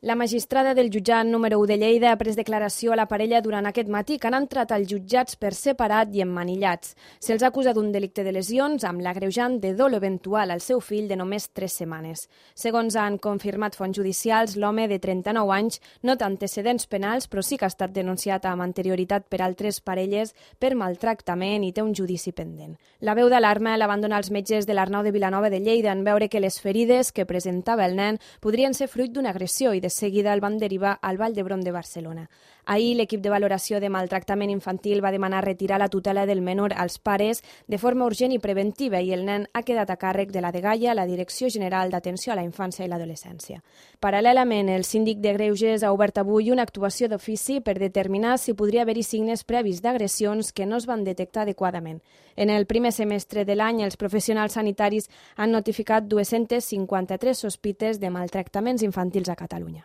La magistrada del jutjat número 1 de Lleida ha pres declaració a la parella durant aquest matí que han entrat als jutjats per separat i emmanillats. Se'ls acusa d'un delicte de lesions amb l'agreujant de dol eventual al seu fill de només 3 setmanes. Segons han confirmat fonts judicials, l'home de 39 anys no té antecedents penals, però sí que ha estat denunciat amb anterioritat per altres parelles per maltractament i té un judici pendent. La veu d'alarma l'abandona els metges de l'Arnau de Vilanova de Lleida en veure que les ferides que presentava el nen podrien ser fruit d'una agressió i de seguida el van derivar al Vall d'Hebron de Barcelona. Ahir, l'equip de valoració de maltractament infantil va demanar retirar la tutela del menor als pares de forma urgent i preventiva i el nen ha quedat a càrrec de la Dgaia, la Direcció General d'Atenció a la Infància i l'Adolescència. Paral·lelament, el síndic de Greuges ha obert avui una actuació d'ofici per determinar si podria haver-hi signes previs d'agressions que no es van detectar adequadament. En el primer semestre de l'any, els professionals sanitaris han notificat 253 sospites de maltractaments infantils a Catalunya.